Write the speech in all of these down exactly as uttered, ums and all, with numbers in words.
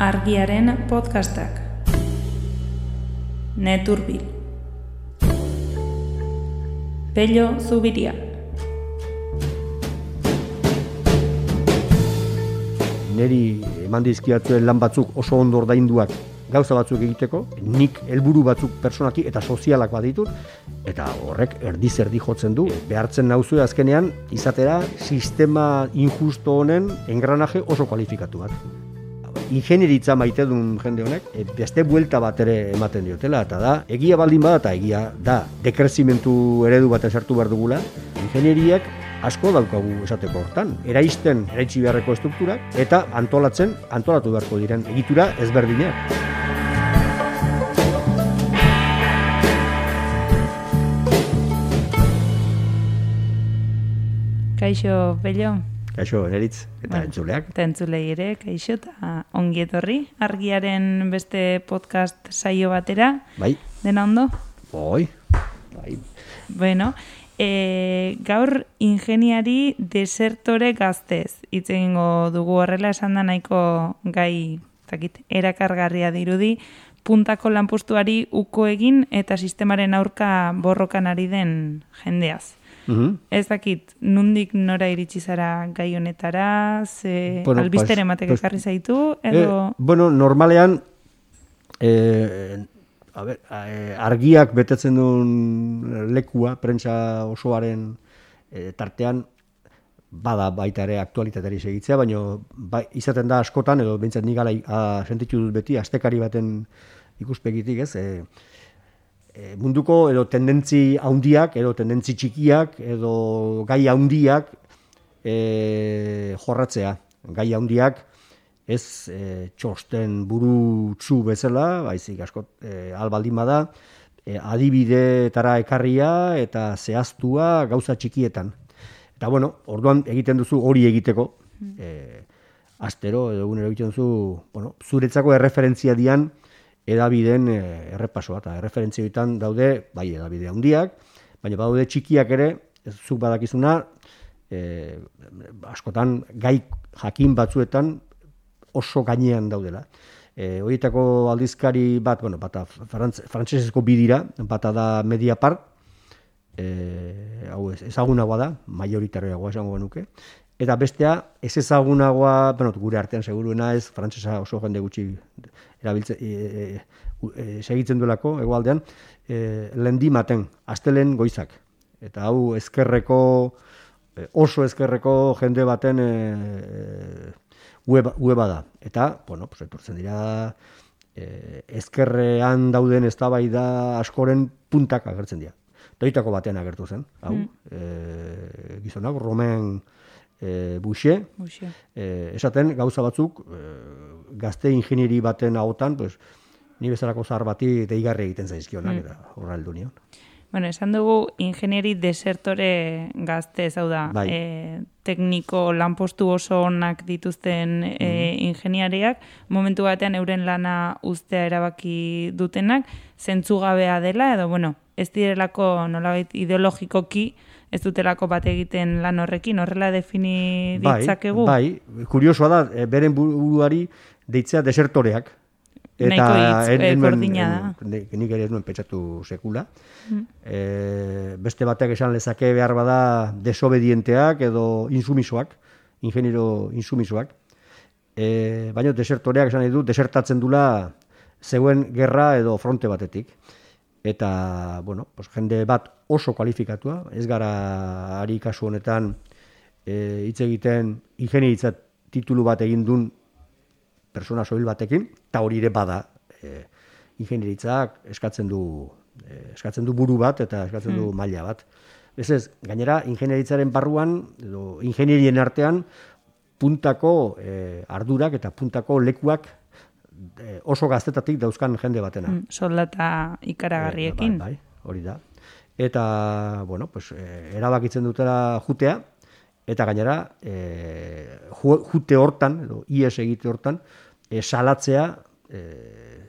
Argiaren podcastak. Neturbil. Pello Zubiria. Neri eman dizkiatzuen lan batzuk oso ondo ordainduak gauza batzuk egiteko, nik helburu batzuk personaki eta sozialak baditut, eta horrek erdi-zerdi jotzen du. Behartzen nauzue azkenean izatera sistema injusto honen engranaje oso kualifikatu bat. Ingenieritza maite duen jende honek, beste buelta bat ere ematen diotela, eta da, egia baldin bada, eta egia da, dekrezimentu eredu bat sartu behar dugula, ingenieriak asko daukagu esateko hortan. Eraisten, eraitsi beharreko estrukturak, eta antolatzen, antolatu beharko diren egitura ezberdinak. Kaixo, Pello. Kaixo, Neritz, eta bueno, entzuleak. Eta entzulei ere, kaixo, eta ongi etorri. Argiaren beste podcast saio batera. Bai. Dena ondo? Bai. Bai. Bueno, e, gaur ingeniari desertore gaztez. Hitz egingo dugu horrela esan da nahiko gai, zakit, erakargarria dirudi, puntako lanpostuari uko egin eta sistemaren aurka borrokan ari den jendeaz. Uh-huh. Ez dakit, nundik nora iritsi zara gai honetara, ze bueno, albistere ematek ekarri zaitu, edo... Eh, bueno, normalean, eh, a ber, eh, argiak betetzen duen lekua, prentsa osoaren eh, tartean, bada baita ere aktualitateari segitzea, baina ba, izaten da askotan, edo behintzat nik ala sentitu dut beti, astekari baten ikuspegitik, ez, eh, E, munduko edo tendentzi handiak, edo tendentzi txikiak, edo gai handiak e, jorratzea. Gai handiak ez e, txosten burutsu bezala, baizik asko e, albaldin bada, e, adibideetara ekarria eta zehaztua gauza txikietan. Eta bueno, orduan egiten duzu hori egiteko, e, astero edo egunero egiten duzu, bueno, zuretzako erreferentzia dian, edabideen errepasoa, eta erreferentzioetan daude, bai, edabide handiak, baina badaude txikiak ere, ez zuk badakizuna, e, askotan gai jakin batzuetan oso gainean daudela. E, horietako aldizkari bat, bueno, bata frantz, frantsesezko bidira, bata da Mediapart, e, hau ez, ezagunagoa da, majoritarioagoa esango genuke, eta bestea, ez ezagunagoa, bueno, gure artean seguruena ez, frantsesa oso jende gutxi erabiltzen, e, e, e, segitzen duelako, egoaldean, e, lendimaten, astelen goizak. Eta hau ezkerreko, e, oso ezkerreko jende baten e, web, weba da. Eta, bueno, pues, etortzen dira, e, ezkerrean dauden eztabaida askoren puntak agertzen dira. Doitako batean agertu zen, hau, mm. e, gizonak, Romain E, Buxe, e, esaten gauza batzuk e, gazte ingenieri baten ahotan, pues, ni bezalako zahar bati deigarri egiten zaizkionak, mm. eta horra heldu nion. Bueno, esan dugu ingenieri desertore gazte, hau da, bai. e, tekniko lanpostu oso onak dituzten e, mm. ingeniariak, momentu batean euren lana uztea erabaki dutenak, zentzugabea dela, edo, bueno, ez direlako nolabait ideologikoki, ez dutelako bat egiten lan horrekin, horrela defini ditzakegu? Bai, bai, kuriosoa da, beren buruari deitzea desertoreak. Eta nahiko hitz, gordina da. Nik ere ez nuen pentsatu sekula. Mm. E, beste batek esan lezake behar bada desobedienteak edo insumisoak, ingeniero insumisoak. E, baina desertoreak esan nahi du, desertatzen dula zeuen gerra edo fronte batetik. Eta, bueno, pues, jende bat oso kualifikatua, ez gara ari kasu honetan e, hitz egiten ingenieritza titulu bat egin duen persona soil batekin, eta hori ere bada e, ingenieritzak eskatzen du, e, eskatzen du buru bat eta eskatzen du hmm. maila bat. Ez ez, gainera ingenieritzaren barruan, edo ingenierien artean, puntako e, ardurak eta puntako lekuak oso gaztetatik dauzkan jende batena. Mm, soldata ikaragarriekin. E, bai, bai, hori da. Eta, bueno, pues, e, erabakitzen dutela jutea, eta gainera, e, jute hortan, edo ies egite hortan, e, salatzea e,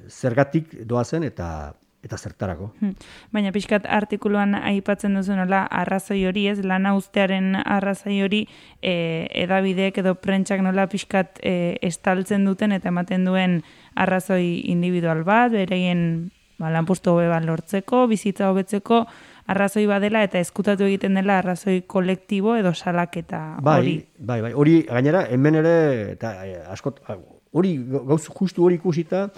zergatik doazen, eta eta zertarako. Baina pixkat artikuluan aipatzen duzu nola arrazoi hori, ez, lana uztearen arrazoi hori e, edabideek edo prentsak nola pixkat e, estaltzen duten eta ematen duen arrazoi individual bat, bereien ba, lanpostu hobe bat lortzeko, bizitza hobetzeko arrazoi badela eta ezkutatu egiten dela arrazoi kolektibo edo salaketa hori. Bai, bai, bai. Hori gainera hemen ere eta askot hori gauz justu hori ikusita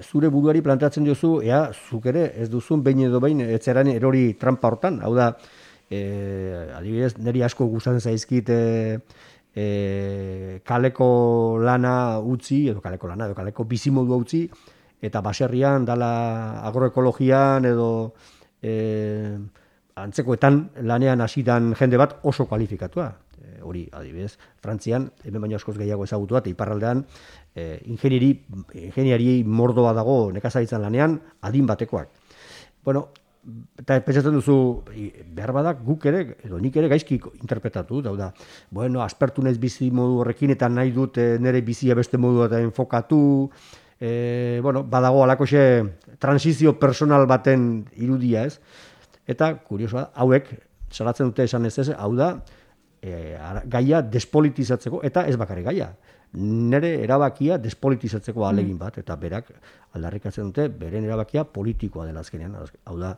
zure buruari planteatzen diozu, ea, zuk ere ez duzun behin edo behin etzeran erori trampa hortan. Hau da, e, adibidez, niri asko gustatzen zaizkit e, e, kaleko lana utzi, edo kaleko lana, edo kaleko bizimodua utzi, eta baserrian, dala agroekologian, edo e, antzekoetan lanean hasitan jende bat oso kualifikatua. E, hori, adibidez, Frantzian, hemen baino askoz gehiago ezagutua, eta iparraldean, E, ingenieri, ingeniari mordoa dago nekazaritzan lanean adin batekoak. Bueno, eta pentsatzen duzu, behar badak guk ere, edo nik ere gaizki interpretatu, dauda, bueno, aspertu naiz bizi modu horrekin eta nahi dut e, nire bizia beste modu eta enfokatu, e, bueno, badago alakoxe transizio personal baten irudia, ez? Eta, kuriosoa, hauek, salatzen dute esan ez ez, hau da, e, gaia despolitizatzeko, eta ez bakarrik gaia. Nere erabakia despolitizatzeko ahalegin bat, eta berak aldarrikatzen dute, beren erabakia politikoa dela azkenean. Hau da,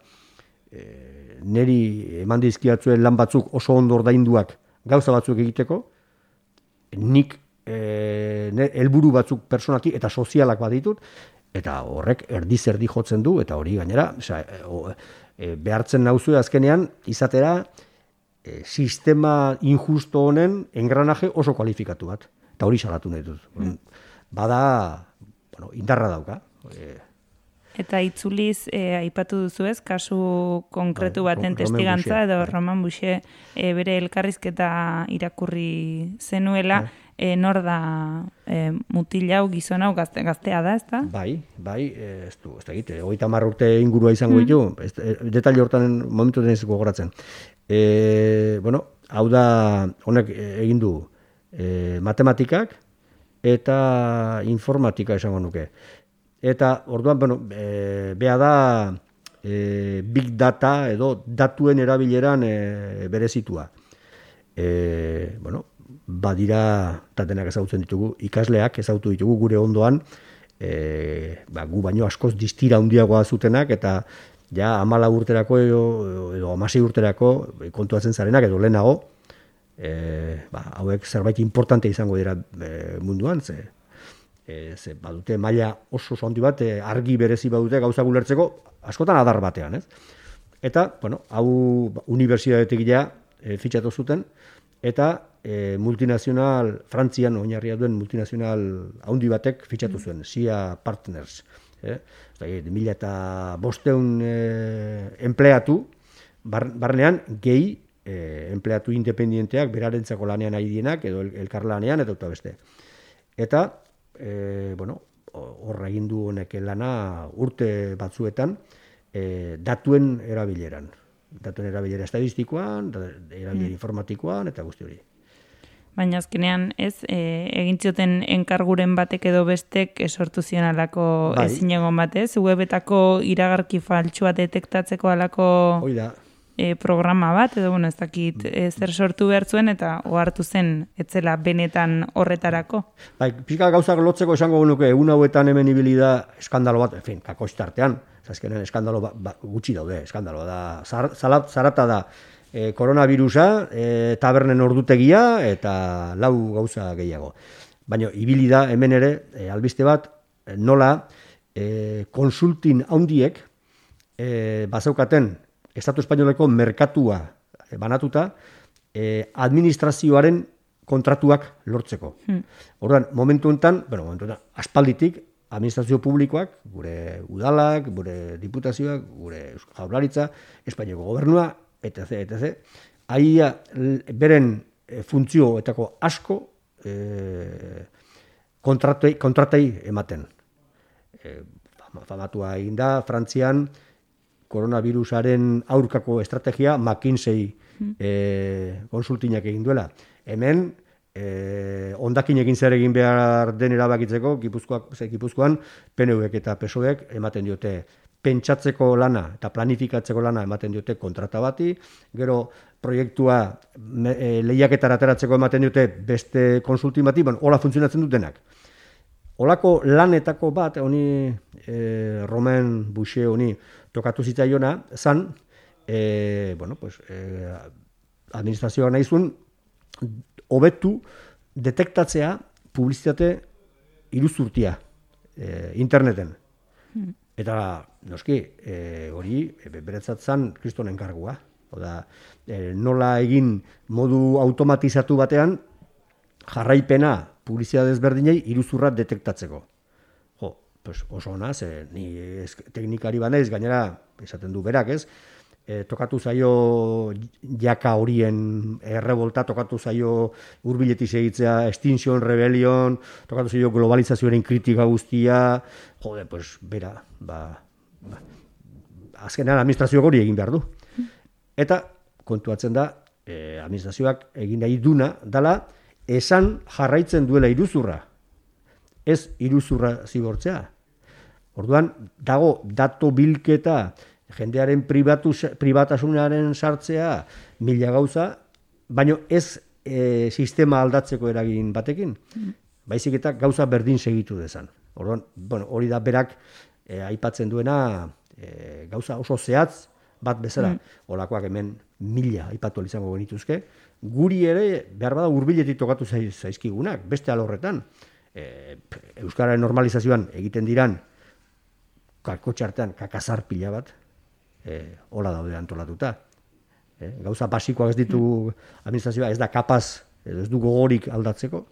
e, neri eman dizkiatzuen lan batzuk oso ondo ordainduak gauza batzuk egiteko, nik e, helburu batzuk personaki eta sozialak baditut, eta horrek erdi-zerdi jotzen du, eta hori gainera, oza, e, behartzen nauzue azkenean, izatera, e, sistema injusto honen engranaje oso kualifikatu bat. Eta hori salatu nahi dut. Mm. Bada, bueno, indarra dauka. E... Eta itzuliz, e, aipatu duzu ez, kasu konkretu baten testigantza, edo Roman Boucher e, bere elkarrizketa irakurri zenuela, e, nor da e, mutil hau, gizon hau, gazte, gaztea da, ez da? Bai, bai, ez du, ez da egite, hogeita hamar urte ingurua izango ditu, mm. ez, detaile hortan momentu denez gogoratzen. E, bueno, hau da, honek egin du, E, matematikak eta informatika esango nuke. Eta orduan, bueno, e, beha da e, big data edo datuen erabileran e, berezitua. E, bueno, badira, eta denak ezagutzen ditugu, ikasleak ezagutu ditugu gure ondoan, e, ba, gu baino askoz distira handiagoa zutenak, eta ja amala urterako edo, edo amasei urterako kontuatzen zarenak edo lehenago, E, ba, hauek zerbait importante izango dira e, munduan, ze, e, ze badute maila oso oso handi bat, e, argi berezi badute gauza gulertzeko, askotan adar batean, ez? Eta, bueno, hau unibertsitatetik ja e, fitxatu zuten, eta e, multinazional, Frantzian oinarria duen multinazional handi batek fitxatu zuen, S I A Partners. Eh? Mila eta bosteun e, empleatu, bar, barnean gehi E, empleatu independienteak berarentzako lanean ari dienak edo elkarlanean eta eta beste. Eta, e, bueno, horra egin du honek lana urte batzuetan e, datuen erabileran. Datuen erabilera estadistikoan, erabilera mm. informatikoan eta guzti hori. Baina azkenean ez, e, egin zioten enkarguren batek edo bestek sortu zion alako bai. Ezin egon batez, webetako iragarki faltsua detektatzeko alako... Hoi da. E, programa bat, edo bueno, ez dakit e, zer sortu behar zuen, eta ohartu zen etzela benetan horretarako. Bai, pixka gauzak lotzeko esango genuke, egun hauetan hemen ibili da eskandalo bat, en fin, kakostartean, azkenen eskandalo ba, ba, gutxi daude, eskandalo da, zar, zalat, zarata da, e, koronavirusa, e, tabernen ordutegia, eta lau gauza gehiago. Baina ibili da hemen ere, e, albiste bat, e, nola, e, konsultin handiek, e, bazeukaten, Estatu Espainoleko merkatua banatuta, eh, administrazioaren kontratuak lortzeko. Hmm. Orduan, momentu enten, bueno, momentu enten, aspalditik, administrazio publikoak, gure udalak, gure diputazioak, gure jaurlaritza, Espainiako gobernua, et cetera, et cetera. Aia beren funtzioetako asko eh, kontratei, kontratei ematen. Eh, famatua egin da, Frantzian, koronavirusaren aurkako estrategia McKinsey e, konsultinak egin duela. Hemen, e, ondakinekin zer egin behar den erabakitzeko, Gipuzkoak, Gipuzkoan, P N Vek eta P S O Ek ematen diote pentsatzeko lana eta planifikatzeko lana ematen diote kontrata bati, gero proiektua e, lehiaketara ateratzeko ematen diote beste konsultin bati, bueno, hola funtzionatzen dutenak. Olako lanetako bat, honi e, Romain Boucher honi tokatu zitzaiona, zan, e, bueno, pues, e, administrazioa nahi zuen, hobetu detektatzea publizitate iruzurtia e, interneten. Hmm. Eta, noski, e, hori e, beretzat zan kriston enkargua. Oda, e, nola egin modu automatizatu batean jarraipena publizitate desberdinei iruzurra detektatzeko. Jo, pues oso ona, ze ni ez, teknikari banaiz, gainera, esaten du berak, ez? E, tokatu zaio jaka horien errebolta, tokatu zaio hurbiletik segitzea, Extinction Rebellion, tokatu zaio globalizazioaren kritika guztia, jode, pues, bera, ba, ba azkenean administrazioak hori egin behar du. Eta kontuatzen da, eh, administrazioak egin nahi duna, dala, esan jarraitzen duela iruzurra, ez iruzurra zigortzea. Orduan, dago dato bilketa, jendearen pribatu, pribatasunaren sartzea, mila gauza, baino ez e, sistema aldatzeko eragin batekin, baizik eta gauza berdin segitu dezan. Orduan, bueno, hori da berak e, aipatzen duena e, gauza oso zehatz bat bezala. Mm. Olakoak hemen mila aipatu izango genituzke. Guri ere, behar bada hurbiletik tokatu zaizkigunak, beste alorretan. E, Euskararen normalizazioan egiten diran, kakotxartean kakazar pila bat, e, hola daude antolatuta. E, gauza basikoak ez ditu administrazioa, ez da kapaz, ez du gogorik aldatzeko,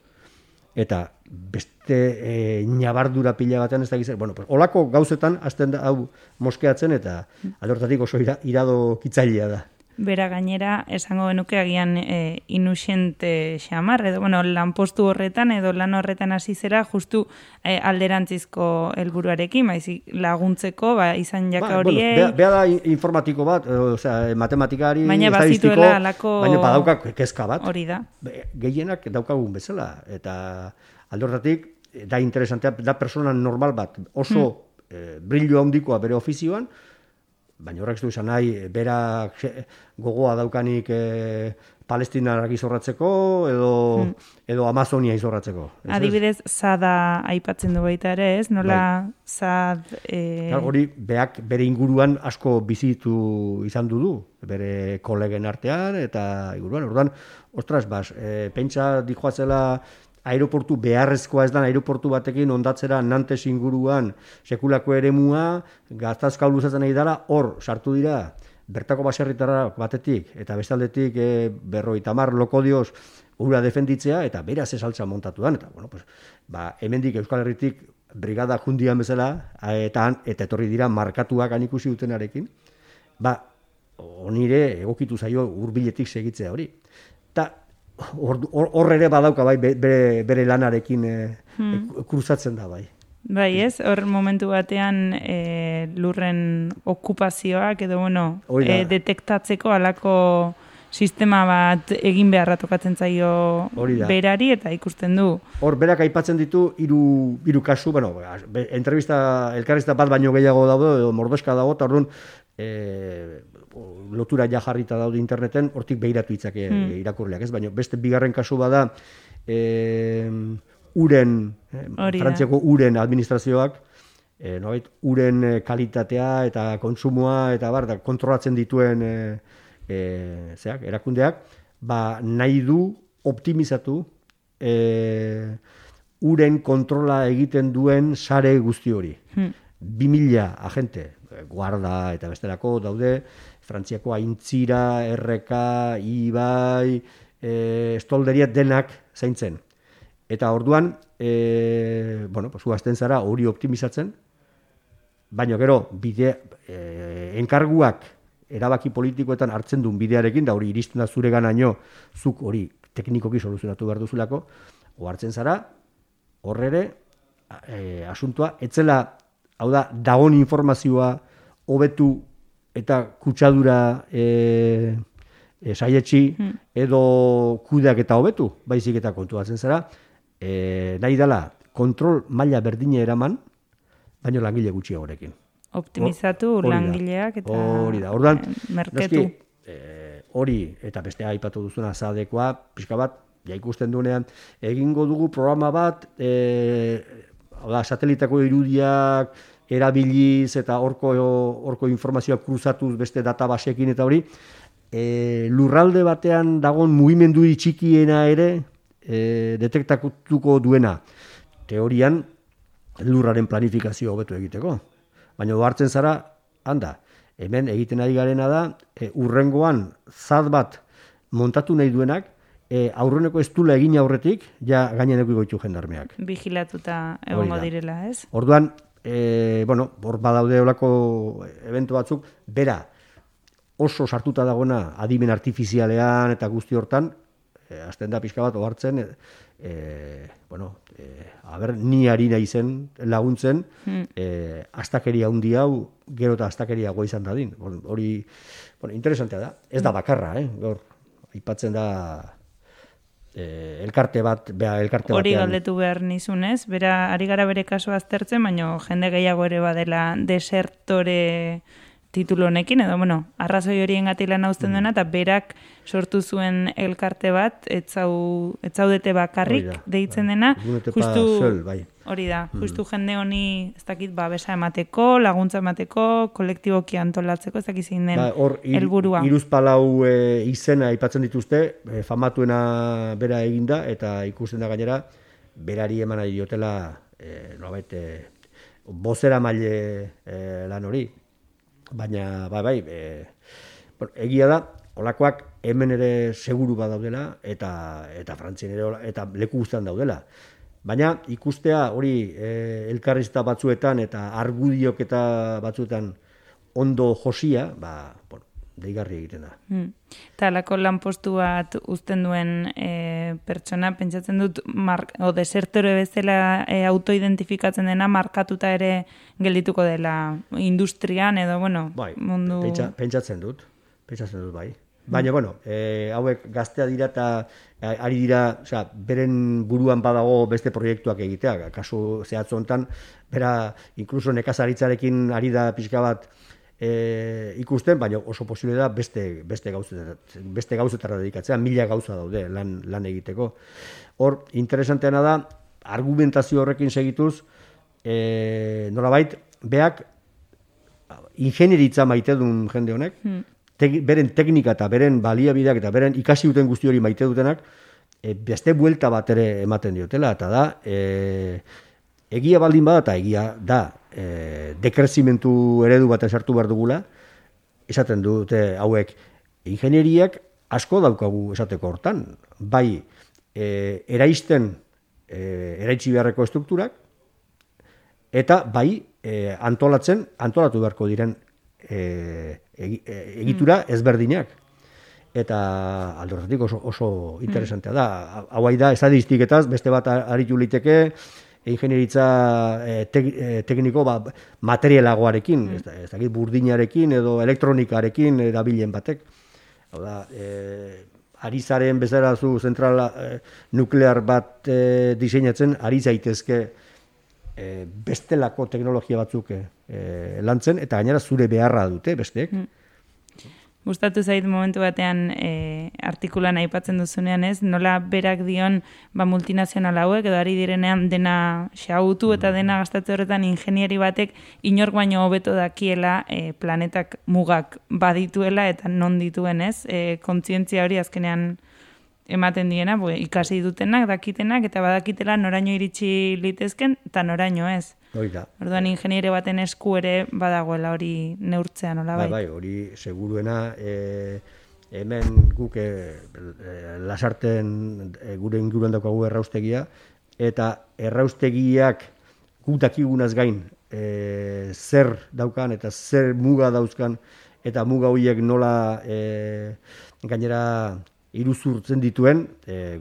eta beste e, nabardura pila batean ez da gizar. Bueno, pues, olako gauzetan hasten da hau moskeatzen, eta alortatik oso ira, irado kitzailea da. Bera gainera, esango genuke agian e, inusiente xamar, edo, bueno, lanpostu horretan, edo lan horretan hasi zera, justu e, alderantzizko helburuarekin, baizik laguntzeko, ba, izan jaka ba, horiek. Bueno, beha da informatiko bat, o sea, matematikari, baina estadistiko, alako... baina badauka kezka bat. Hori da. Gehienak daukagun bezala, eta alde horretatik, da interesantea, da persona normal bat, oso hmm. eh, brillo handikoa bere ofizioan, baina horrek ez du izan nahi, berak gogoa daukanik e, Palestinarak izorratzeko edo, hmm. edo Amazonia izorratzeko. Ez adibidez, Zada aipatzen du baita ere, ez? Nola bai. Zad... E... Hori, beak bere inguruan asko bizitu izan du du, bere kolegen artean, eta inguruan, orduan, ostras, bas, e, pentsa dijoatzela aeroportu beharrezkoa ez da aeroportu batekin ondatzera Nantes inguruan sekulako eremua, gatazka luzatzen nahi dela, hor sartu dira bertako baserritarra batetik eta bestaldetik e, berrogeita hamar lokodioz ura defenditzea eta beraz esaltza montatu dan. Eta, bueno, pues, ba, hemendik Euskal Herritik brigada jundian bezala eta, eta etorri dira markatuak anikusi dutenarekin, ba, onire egokitu zaio hurbiletik segitzea hori. Eta hor ere badauka bai bere, bere lanarekin e, hmm. kruzatzen da bai. Bai ez, hor momentu batean e, lurren okupazioak edo bueno, e, detektatzeko alako sistema bat egin beharra tokatzen zaio berari eta ikusten du. Hor berak aipatzen ditu hiru hiru kasu, bueno, entrevista elkarrizta bat baino gehiago daude edo mordoska dago eta orduan e, lotura ja jarrita daude interneten, hortik behiratu itzake hmm. irakurleak, ez? Baina beste bigarren kasu bada e, uren, eh, Frantziako uren administrazioak, e, nobait, uren kalitatea eta kontsumoa eta bar, da, kontrolatzen dituen e, e, zeak, erakundeak, ba, nahi du optimizatu e, uren kontrola egiten duen sare guzti hori. Hmm. Bi mila agente, guarda eta bestelako daude, Frantziako Aintzira, R K, Ibai, e, estolderia denak zaintzen. Eta orduan, e, bueno, pues, huazten zara hori optimizatzen, baina gero, bide, e, enkarguak erabaki politikoetan hartzen duen bidearekin, da hori iristen da zure ganaino, zuk hori teknikoki soluzionatu behar duzulako, hartzen zara, horrere, e, asuntua, etzela, hau da, dagon informazioa hobetu eta kutsadura e, e, saietxi hmm. edo kudeak eta hobetu, baizik eta kontuatzen zara, e, nahi dela kontrol maila berdine eraman, baino langile gutxiagorekin. optimizatu Hori da. langileak eta Hori da. Orduan, merketu. noski, eh, hori eta beste aipatu duzuna zadekoa, pixka bat, ja ikusten duenean, egingo dugu programa bat, eh, hau da, satelitako irudiak erabiliz eta horko, horko informazioak kruzatuz beste databasekin eta hori, e, lurralde batean dagoen mugimendu txikiena ere e, detektatuko duena. Teorian, lurraren planifikazio hobetu egiteko. Baina hartzen zara, handa, hemen egiten ari garena da, e, urrengoan zat bat montatu nahi duenak, e, aurreneko ez dula egin aurretik, ja gaineneko goitu jendarmeak. Vigilatuta egongo direla, ez? Orduan, e, bueno, hor badaude olako eventu batzuk, bera, oso sartuta dagoena adimen artifizialean eta guzti hortan, e, azten da pixka bat ohartzen, e, e, bueno, e, aber, ni ari naizen laguntzen, hmm. e, astakeria handi hau, gero eta astakeria goa izan dadin. Hori, bueno, interesantea da. Ez da bakarra, eh? Gaur, aipatzen da eh, elkarte bat, bea, elkarte hori batean. galdetu behar nizunez, bera, ari gara bere kasua aztertzen, baina jende gehiago ere badela desertore titulu honekin, edo, bueno, arrazoi horien gati lan hauzten duena, eta berak sortu zuen elkarte bat, etzau, etzaudete bakarrik da, deitzen bai. dena, justu, Zöl, bai. hori da, justu jende honi, ez dakit, babesa emateko, laguntza emateko, kolektiboki antolatzeko, ez dakit zein den ba, hor, helburua. Hiruzpalau e, izena aipatzen dituzte, e, famatuena bera eginda, eta ikusten da gainera, berari eman nahi diotela, e, nolabait, e, bozera maile e, lan hori. Baina, bai, bai, e, bueno, egia da, olakoak hemen ere seguru badaudela, eta eta Frantzien ere, eta leku guztian daudela. Baina ikustea hori e, elkarrizta batzuetan eta argudiok eta batzuetan ondo josia, ba, bueno, deigarri egiten da. Hmm. Eta alako lanpostu bat uzten duen e, pertsona, pentsatzen dut, mark, o desertore bezala e, autoidentifikatzen dena, markatuta ere geldituko dela industrian, edo, bueno, bai, mundu... Pentsa, pentsatzen dut, pentsatzen dut, bai. Baina, bueno, e, hauek gaztea dira eta ari dira, osea, beren buruan badago beste proiektuak egitea, kasu zehatz honetan, bera, inkluso nekazaritzarekin ari da pixka bat e, ikusten, baina oso posible da beste, beste, gauzetara, beste gauzetara dedikatzea, mila gauza daude lan, lan egiteko. Hor, interesanteana da, argumentazio horrekin segituz, e, nolabait, beak ingenieritza maite duen jende honek, hmm. te, beren teknika eta beren baliabideak eta beren ikasi duten guzti hori maite dutenak, e, beste buelta bat ere ematen diotela, eta da, e, egia baldin bada eta egia da, e, dekrezimentu eredu bat esartu behar dugula, esaten dute hauek, ingenieriak asko daukagu esateko hortan, bai e, eraisten, e, eraitsi beharreko estrukturak, eta bai e, antolatzen, antolatu beharko diren e, egitura ezberdinak. Eta aldorretik oso, oso interesantea da. Hau da, estadistiketaz, beste bat aritu liteke, ingenieritza e, te, e, tekniko ba, materialagoarekin, ez, ez dakit burdinarekin edo elektronikarekin erabilen batek. Hau da, e, ari zaren bezala zu zentrala e, nuklear bat e, diseinatzen, ari zaitezke e, bestelako teknologia batzuk e, lantzen, eta gainera zure beharra dute besteek. Mm. Gustatu zait momentu batean e, artikulan aipatzen duzunean ez, nola berak dion ba, multinazional hauek, edo ari direnean dena xautu eta dena gastatze horretan ingenieri batek inork baino hobeto dakiela e, planetak mugak badituela eta non dituen ez, e, kontzientzia hori azkenean ematen diena, bo, ikasi dutenak, dakitenak, eta badakitela noraino iritsi litezken, eta noraino ez. Oida. Orduan ingeniere baten esku ere badagoela hori neurtzea, nola bai? Bai, bai, hori seguruena, e, hemen guk e, lasarten e, gure inguruan daukagu erraustegia, eta erraustegiak guk dakigunaz gain e, zer daukan eta zer muga dauzkan, eta muga horiek nola e, gainera iruzurtzen dituen, e,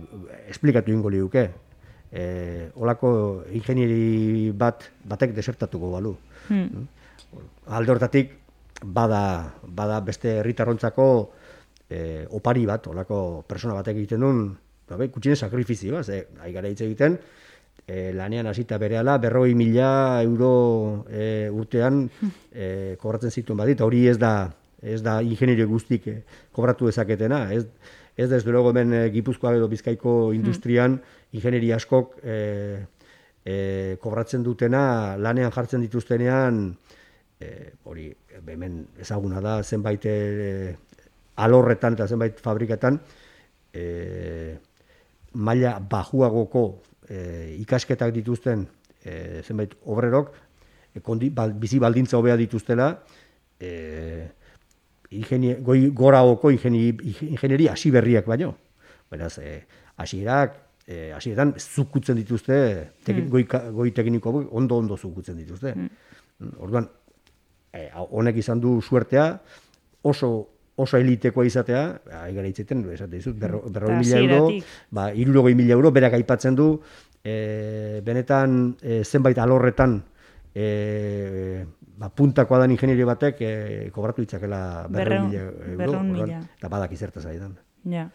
esplikatu ingo liuke. E, olako ingenieri bat batek desertatuko balu. Hmm. Alde hortatik bada, bada beste herritarrontzako e, opari bat, olako persona batek egiten duen, kutxinen sakrifizioa, ze ari gara hitz egiten, e, lanean hasita berehala, berroi mila euro e, urtean e, kobratzen zituen badit, hori ez da, ez da ingenierio guztik e, kobratu dezaketena, ez, ez da ez dugu hemen e, Gipuzkoa edo Bizkaiko industrian ingenieria askok e, e, kobratzen dutena, lanean jartzen dituztenean, e, hori hemen ezaguna da, zenbait e, alorretan eta zenbait fabrikatan, e, maila bajuagoko e, ikasketak dituzten e, zenbait obrerok, e, kondi, bal, bizi baldintza hobea dituztela, e, ingenie, goi, goraoko ingenieria hasi berriak baino. Beraz, e, hasierak, e, hasieran zukutzen dituzte, teki, mm. goi, goi tekniko ondo-ondo zukutzen dituzte. Mm. Orduan, e, honek izan du suertea, oso oso elitekoa izatea, aigara hitzeten, esate dizut, berro, berroi mila euro, ba, irurogei mila euro, berak aipatzen du, e, benetan e, zenbait alorretan e, ba, puntakoa dan ingenierio batek e, kobratu ditzakela berroi mila euro, orduan, eta badak izertaz aidan. Ja.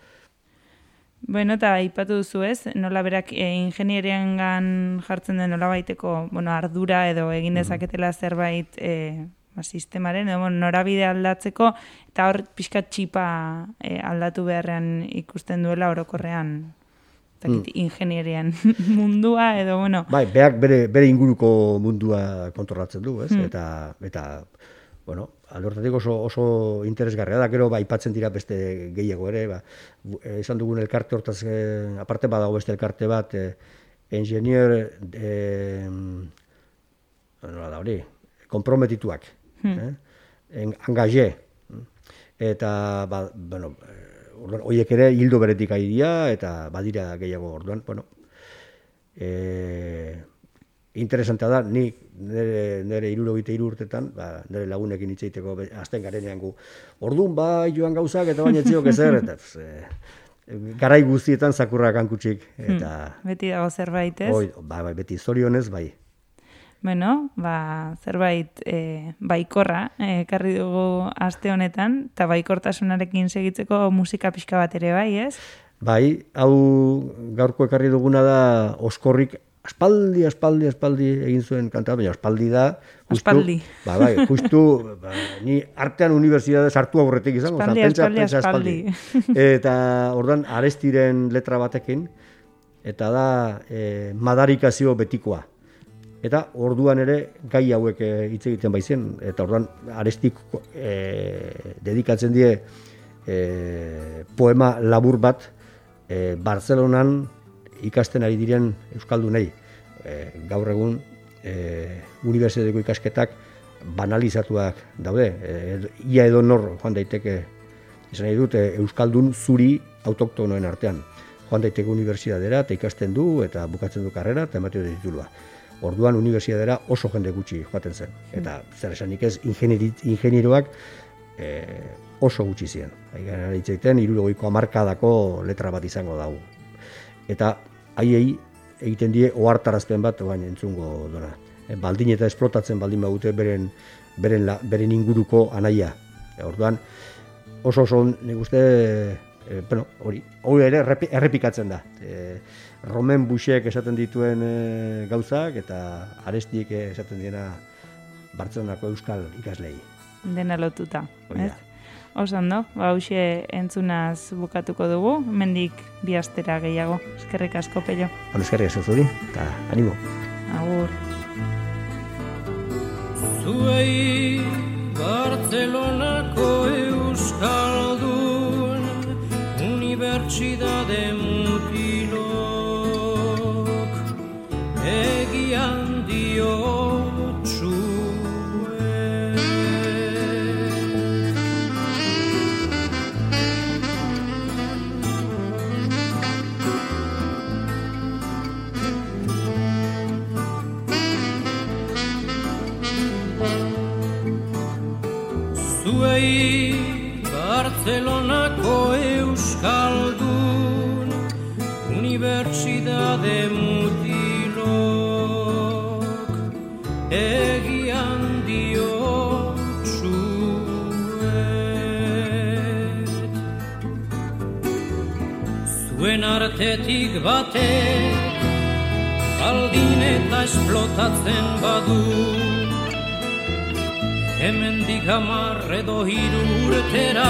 Bueno, eta aipatu duzu ez, nola berak e, ingenieriangan jartzen den nola baiteko, bueno, ardura edo egin dezaketela zerbait e, sistemaren, edo, norabide aldatzeko, eta hor pixka txipa e, aldatu beharrean ikusten duela orokorrean mm. ingenierian mundua, edo, bueno... Bai, berak bere, bere inguruko mundua kontrolatzen du, ez? Mm. Eta, eta, bueno, alortatik oso, oso interesgarria da, gero, ba, ipatzen dira beste gehiago ere, ba, esan dugun elkarte hortaz, eh, aparte badago beste elkarte bat, eh, ingenier, eh, nola da hori, komprometituak, Hmm. Eh? Engagé. Eta, ba, bueno, horiek ere hildo beretik aidia, eta badira gehiago orduan, bueno, e, interesantea da, ni nire, nire irurogite hiru urtetan, ba, nire lagunekin hitzeiteko azten garenean gu, orduan ba, joan gauzak, eta baina etziok ezer, eta e, garai guztietan zakurrak hankutxik, eta... Hmm. Beti dago zerbait, ez? Oi, ba, ba, beti zorionez, bai. Bueno, ba, zerbait e, baikorra ekarri e, dugu aste honetan, eta baikortasunarekin segitzeko musika pixka bat ere bai, ez? Bai, hau gaurko ekarri duguna da Oskorrik aspaldi, aspaldi, aspaldi egin zuen kanta, baina aspaldi da... Justu, aspaldi. Ba, bai, justu, ba, ni artean unibertsitate sartu aurretik izango. Aspaldi, pentsa, aspaldi, pentsa, aspaldi. aspaldi. Eta ordan Arestiren letra batekin, eta da e, madarikazio betikoa. Eta orduan ere gai hauek hitz egiten baizen, eta orduan Arestik e, dedikatzen die e, poema labur bat e, Bartzelonan ikasten ari diren euskaldunei. E, gaur egun e, unibertsitateko ikasketak banalizatuak daude. E, ia edo nor joan daiteke, izan nahi dut, e, euskaldun zuri autoktonoen artean. Joan daiteke unibertsitatera eta ikasten du, eta bukatzen du karrera, eta ematio de titulua. Orduan unibertsitatera oso jende gutxi joaten zen. Eta zer esanik ez, ingenieroak e, oso gutxi ziren. Haigan hitzeiten, hirurogeiko hamarkadako letra bat izango dago. Eta haiei egiten die ohartarazpen bat baina entzungo dona. E, baldin eta esplotatzen baldin badute beren, beren, la, beren inguruko anaia. E, orduan oso oso nik uste, e, bueno, hori, hori ere errepikatzen da. E, Romen Buxek esaten dituen e, gauzak, eta Arestik esaten diena Bartzelonako euskal ikaslei. Dena lotuta, ez? Oso ondo, ba, hauxe entzunaz bukatuko dugu, mendik bi astera gehiago. Eskerrik asko, Pello. Bueno, eskerrik asko zuri, eta animo. Agur. Zuei Bartzelonako euskaldun unibertsitate mutilok egian diotsue. Zuei Bartzelonako euskaldun unibertsitate mutilok egian diotsuet. Zuen artetik batek baldin eta esplotatzen badu. Hemendik hamar edo hiru urtera